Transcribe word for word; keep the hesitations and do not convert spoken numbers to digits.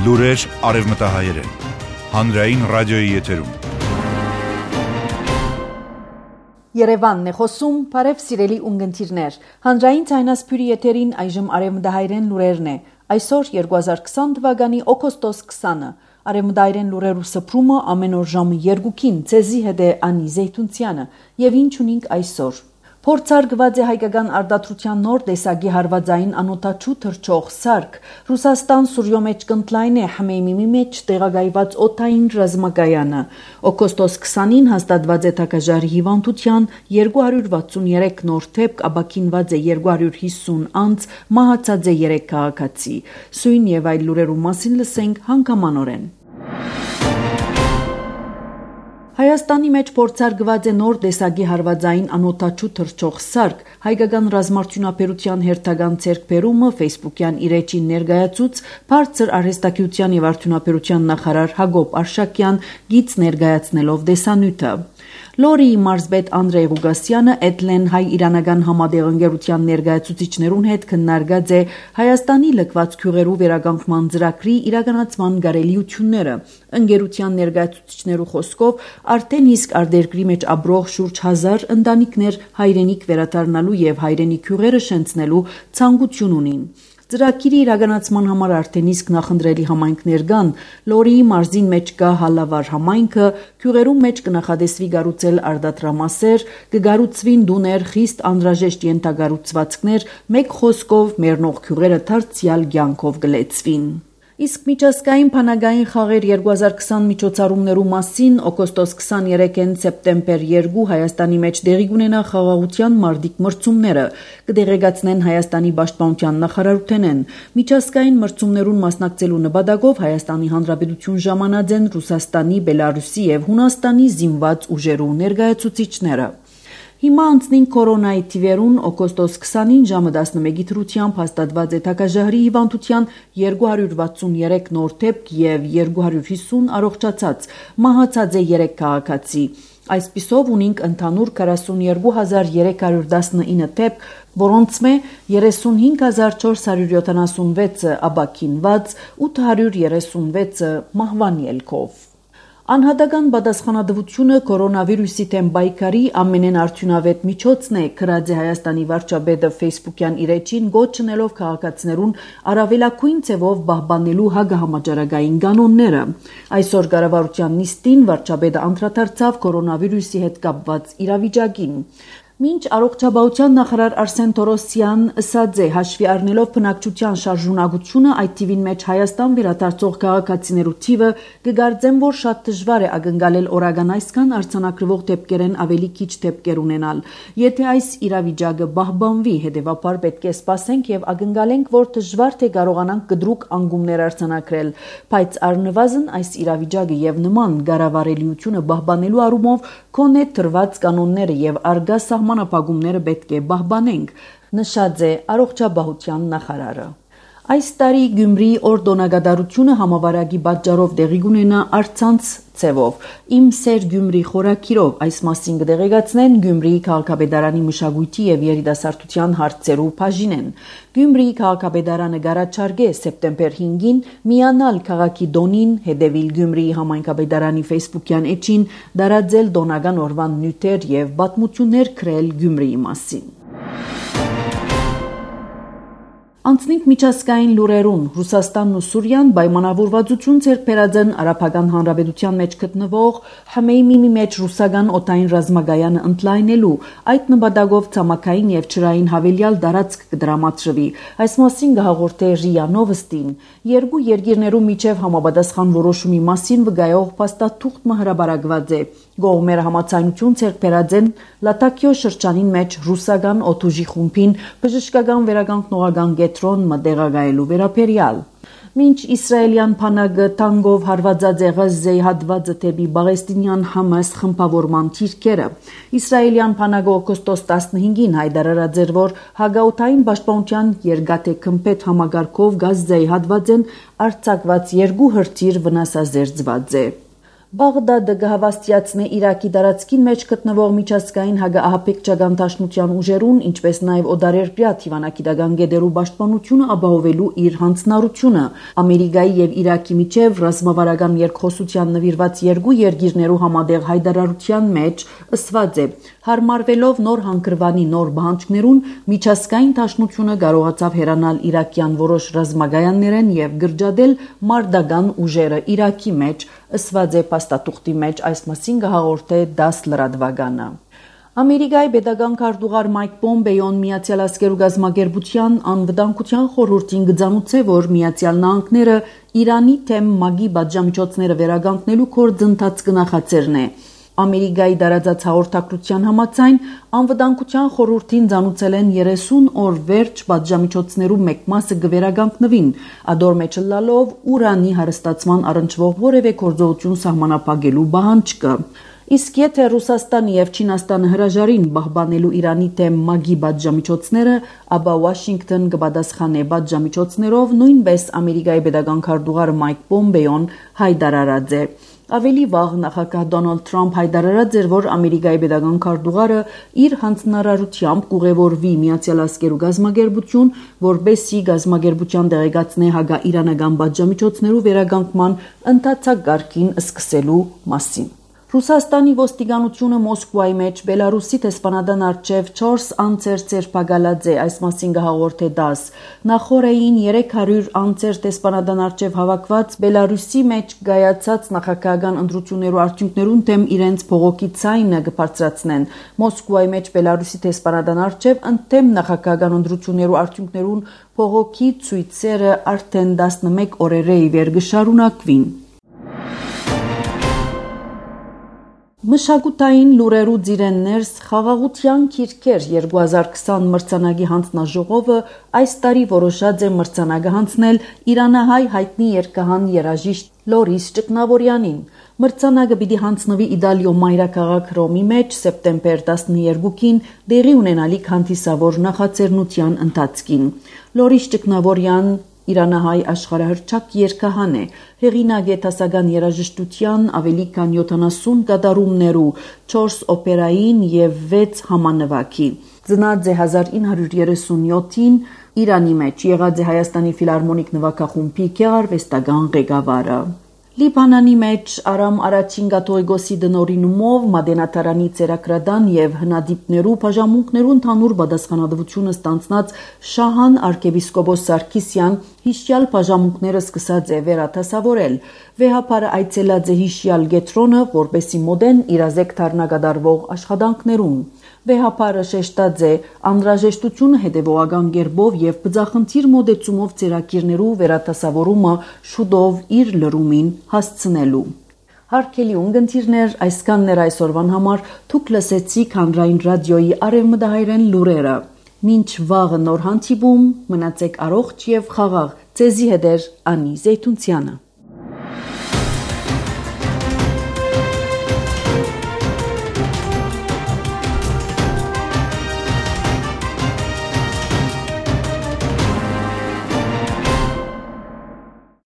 Լուրեր արևմտահայերեն։ Հանրային ռադիոյի եթերում։ Երևանն է խոսում, բարև սիրելի ունգընտիրներ։ Հանրային ցայնասփյուրի եթերին այժմ արևմտահայերեն լուրերն է։ Այսօր երկու հազար քսան թվականի օգոստոս քսանը։ Արևմտահայերեն լուրերու սփռումը ամեն օր ժամը երկուքին ցեզի հետ է Անի Զեյթունցյանը, եւ ինչ ունենք այսօր։ Փորձարկված է հայկական արտադրության նոր տեսակի հարվածային անօդաչու թռչող սարք։ Ռուսաստան Սուրյո մեջ կընտլայն է Հմեյմիմի մեջ տեղակայված օդային ռազմակայանը։ Օգոստոս քսանին հաստատված է թագաժարի հիվանդության երկու հարյուր վաթսուններեք նոր դեպք, ապաքինված է երկու հարյուր հիսուն անձ, մահացած է երեք քաղաքացի։ Սույն եւ այլ լուրերու մասին լսենք հանգամանորեն։ Հայաստանի մեջ փորձարկված է նոր տեսակի հարվածային անօդաչու թռչող սարք։ Հայկական ռազմարտունաբերության հերթական ձեռքբերումը Facebook-յան իր էջին ներկայացուց բարձր արհեստագիտության եւ արդյունաբերության նախարար Հակոբ Արշակյան գիծ ներկայացնելով տեսանյութը։ Լորիի մարզպետ Անդրեյ Ղուգասյանը Էդլեն հայ-իրանական համադեղընկերության ներկայացուցիչներուն հետ քննարկած է Հայաստանի լքված քյուղերու վերականգնման ծրագրի իրականացման կարելիությունները։ Ընկերության ներկայացուցիչներու խոսքով արդեն իսկ արտերկրի մեջ ապրող շուրջ հազար ընտանիքներ հայրենիք վերադառնալու եւ հայրենի քյուղերը շենցնելու ցանկություն ունին։ Ծրագիրի իրականացման համար արդեն իսկ նախընտրելի համայնքներ կան։ Լորիի մարզին մեջ կա Հալավար համայնքը, քյուղերու մեջ կնախադեсվի կառուցել արտադրամասեր, կգառուցվին դուներ, խիստ անհրաժեշտ ենթակառուցվածքներ, մեկ խոսքով մեռնող քյուղերը դարձյալ կյանքով կլեցվին։ Իսկ միջազգային բանակային խաղեր երկու հազար քսան միջոցառումներու մասին օգոստոս քսաներեքին սեպտեմբեր երկու Հայաստանի մեջ տեղի կունենա խաղաղության մարտիկ մրցումները, կդեղեկացնեն Հայաստանի պաշտպանության նախարարութենեն։ Միջազգային մրցումներուն մասնակցելու նպատակով Հայաստանի Հանրապետություն ժամանած են Ռուսաստանի, Բելարուսի եւ Հունաստանի զինված ուժերու ներկայացուցիչները։ Հիմա անցնին կորոնայի թիվերուն օգոստոս քսանին ժամը տասնմեկի դրությամբ հաստատված է թագաժահրի հիվանդության երկու հարյուր վաթսուններեք նոր դեպք եւ երկու հարյուր հիսուն առողջացած, մահացած է երեք քաղաքացի։ Այսպիսով ունենք ընդհանուր քառասունյոթ հազար երեք հարյուր տասնինը դեպք, որոնց մե երեսունհինգ հազար չորս հարյուր յոթանասունվեցը ապաքինված, ութ հարյուր երեսունվեցը մահվան ելքով։ Անհատական պատասխանատվությունը կորոնավիրուսի դեմ պայքարի ամենեն արդյունավետ միջոցն է, գրած է Հայաստանի վարչապետը Facebook-յան իր էջին գոչնելով քաղաքացիներուն առավելագույն ձևով պահպանելու հակահամաճարակային կանոնները։ Այսօր կառավարության նիստին վարչապետը անդրադարձավ կորոնավիրուսի հետ կապված իրավիճակին։ Մինչ առողջապահության նախարար Արսեն Թորոսյան ըսած է հաշվի առնելով բնակչության շարժունակությունը այդ թիվին մեջ Հայաստան վերադարձող քաղաքացիներու թիվը կգարձեմ, որ շատ դժվար է ակնկալել օրական այսքան արձանագրվող դեպքերեն ավելի քիչ դեպքեր ունենալ։ Եթե այս իրավիճակը պահպանվի, հետևաբար պետք է սպասենք եւ ակնկալենք, որ դժվար թե կարողանանք կտրուկ անկումներ արձանագրել, բայց առնվազն այս իրավիճակը եւ նման կառավարելիությունը պահպանելու առումով կոնե տրված կանոնները եւ արգա սահմանափակումները պետք է պահպանենք, նշած է առողջապահության նախարարը։ Այս տարի Գյումրիի օրդոնակատարությունը համավարակի պատճառով տեղի կունենա առցանց ցևով։ Իմ սեր Գյումրի խորակիրով այս մասին կդեղեկացնեն Գյումրիի քաղաքապետարանի մշակույթի եւ երիտասարդության հարցերու բաժինեն։ Գյումրիի քաղաքապետարանը գարաչարգե սեպտեմբեր հինգին միանալ քաղաքի դոնին, հետևիլ Գյումրիի համայնքապետարանի Facebook-յան էջին, դարաձել դոնական օրվան նյութեր եւ պատմություններ գրել Գյումրիի մասին։ Անցնենք միջազգային լուրերուն։ Ռուսաստանն ու Սուրիան պայմանավորվածություն ձեռք բերած են Արաբական Հանրապետության մեջ գտնվող Հմեյմիմի մեջ ռուսական օդային ռազմակայանը ընդլայնելու, այդ նպատակով ցամաքային եւ ջրային հավելյալ տարածք կդրամատրվի։ Այս մասին կհաղորդե ՌԻԱ Նովոստին։ Երկու երկիրներու միջև համապատասխան որոշումի մասին վկայող փաստաթուղթը հրապարակված է։ Գողմերը համաձայնություն ձեռք բերած են Լատակիո շրջանին մեջ ռուսական օդուժի խումբին բժշկական վերականգնողական կետրոն մտեղակայելու վերաբերյալ։ Մինչ իսրայելյան բանակը տանկով հարվածած է Ղազայի հատվածը դեպի Պաղեստինյան Համաս խմբավորման թիրքերը։ Իսրայելյան բանակը օգոստոս տասնհինգին հայտարարած էր, որ հագաութային պաշտպանության երկաթե քմփեթ համագարկով Գազայի հատվածեն արձակված երկու հրթիռ վնասազերծված է։ Բաղդադը կհավաստիացնե Իրաքի տարածքին մեջ գտնվող միջազգային հակաահաբեկ ճակատամարտության ուժերուն, ինչպես նաև օդարերկրյա թիվանակիտական գետերու պաշտպանությունը ապահովելու իր հանձնառությունը։ Ամերիկայի եւ Իրաքի միջև ռազմավարական երկխոսության նվիրված երկու երկիրներու համատեղ հայտարարության մեջ ըսված է. հարմարվելով նոր հանգրվանի նոր բանջկներուն, միջազգային դաշնությունը կարողացավ հերանալ իրաքյան որոշ ռազմագայաններեն եւ գրջադել մարտական ուժերը Իրաքի մեջ, ըսված է փաստաթուղթի մեջ, այս մասին կհաղորդե դաս լրատվականը։ Ամերիկայի պետական քարտուղար Մայք Պոմպեոն Միացյալ Ազգերու գազམ་ագերբության անվտանգության խորհրդին գծանուցե, որ Միացյալ Նահանգները Իրանի թեմ մագի բաժամիջոցները վերականգնելու գործընթաց կնախաձեռն է։ Ամերիկայի դարաձած հաղորդակցության համաձայն անվտանգության խորհրդին ցանուցել են երեսուն օր վերջ բաժամիջոցներու մեկ մասը կվերականգնվին, ադոր մեջ լալով ուրանի հարստացման առնչվող որևէ գործողություն սահմանափակելու պահանջը։ Իսկ եթե Ռուսաստանը եւ Չինաստանը հրաժարին պահպանելու Իրանի թեմ մագի բաժամիջոցները, ապա Վաշինգտոն կպատասխանե բաժամիջոցներով, նույնպես Ամերիկայի պետական քարտուղար Մայք Պոմպեոն հայտարարած է։ Ավելի վաղ նախագահ Դոնալդ Թրամփ հայտարարած էր, որ Ամերիկայի պետական քարտուղարը իր հանձնարարությամբ կուղևորվի Միացյալ Ազգերու գազམ་ագերբություն, որպեսզի գազམ་ագերբության տեղեկացնե հակաիրանական բաժամիջոցներու վերականգնման ընթացակարգին սկսելու մասին։ Ռուսաստանի ոստիկանությունը Մոսկվայի մեջ Բելարուսի տեսփանադան արչև չորս անձեր ցերպակալած է, այս մասին կհաղորդե դաս։ Նախորդային երեք հարյուր անձեր տեսփանադան արչև հավաքված Բելարուսի մեջ գայացած նախագահական ընտրություններու արդյունքներուն թեմ իրենց փողոքի ցայնը կբարձրացնեն։ Մոսկվայի մեջ Բելարուսի տեսփանադան արչև ընդդեմ նախագահական ընտրություններու արդյունքներուն փողոքի ցույցերը արդեն տասնմեկ օրեր ի վեր կշարունակվին։ Մշակութային լուրերու ծիրեններս խաղաղության քիրքեր երկու հազար քսան մրցանակի հանձնաժողովը այս տարի որոշած է մրցանակը հանձնել իրանահայ հայտնի երգահան երաժիշտ Լորիս Ճկնավորյանին։ Մրցանակը պիտի հանձնվի Իտալիո մայրաքաղաք Ռոմի մեջ սեպտեմբեր տասներկուին տեղի ունենալիք հանդիսավոր նախաձեռնության ընթացքին։ Լորիս Ճկնավորյան իրանահայ աշխարհահռչակ երգահան է, հեղինակ է դասական երաժշտության ավելի քան յոթանասուն կատարումներու, չորս օպերային եւ վեց համանվագի։ Ծնած է հազար ինը հարյուր երեսունյոթին Իրանի մեջ, եղած է Հայաստանի ֆիլհարմոնիկ նվագախումբի գեղարվեստական ղեկավարը։ Լիբանանի մեջ Արամ առաջին կաթողիկոսի դնորինումով Մադենատարանի ցերակրադան եւ հնադիպներու բաժամունքներու ընդհանուր պատասխանատվությունը ստանձնած Շահան arczepiskopos Սարգիսյան հիշյալ բաժամունքները սկսած է վերադասավորել։ Վեհապարը այցելած է հիշյալ գետրոնը, որպեսի մոդեն իրազեկ դառնագադարվող աշխատանքներուն։ Վեհապարը շեշտած է անհրաժեշտությունը հետևողական կերպով եւ բծախնդիր մոդեցումով ցերակիրներու վերադասավորումը շուտով իր լրումին հասցնելու։ Հարգելի ունգընտիրներ, այսքանն էր այսօրվան համար, թուք լսեցիք Հանրային ռադիոյի արևմտահայերեն լուրերը։ Մինչ վաղը նոր հանդիպում, մնացեք առողջ եւ խաղաղ։ Ձեզի հետ է Անի Զեյթունցյանը։